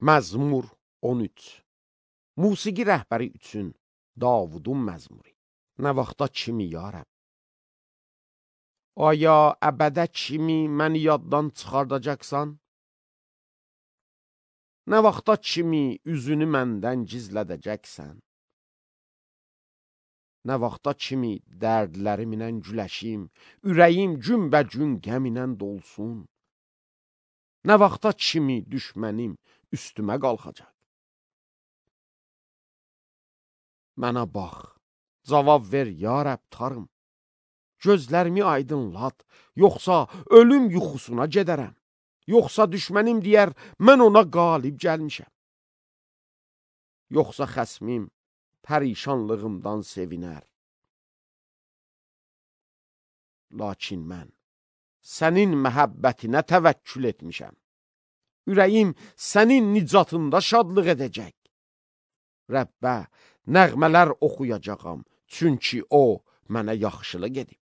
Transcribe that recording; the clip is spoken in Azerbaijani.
Məzmur 13. Musiqi rəhbəri üçün Davudun məzmuri. Nə vaxta kimi ya Rəbb? Aya əbədə kimi məni yaddan çıxardacaqsan? Nə vaxta kimi üzünü məndən gizlədəcəksən? Nə vaxta kimi dərdlərimlə güləşim, ürəyim günbəgün qəminlə dolsun? Nə vaxta kimi düşmənim üstümə qalxacaq? Mənə bax, cavab ver ya Rəbb tarım. Gözlərimi aydınlat, yoxsa ölüm yuxusuna gedərəm. Yoxsa düşmənim deyər, mən ona qalib gəlmişəm. Yoxsa xəsmim pərişanlığımdan sevinər. Lakin mən sənin məhəbbətinə təvəkkül etmişəm. Ürəyim sənin nicatında şadlıq edəcək. Rəbbə nəğmələr oxuyacağam, çünki o mənə yaxşılıq edib.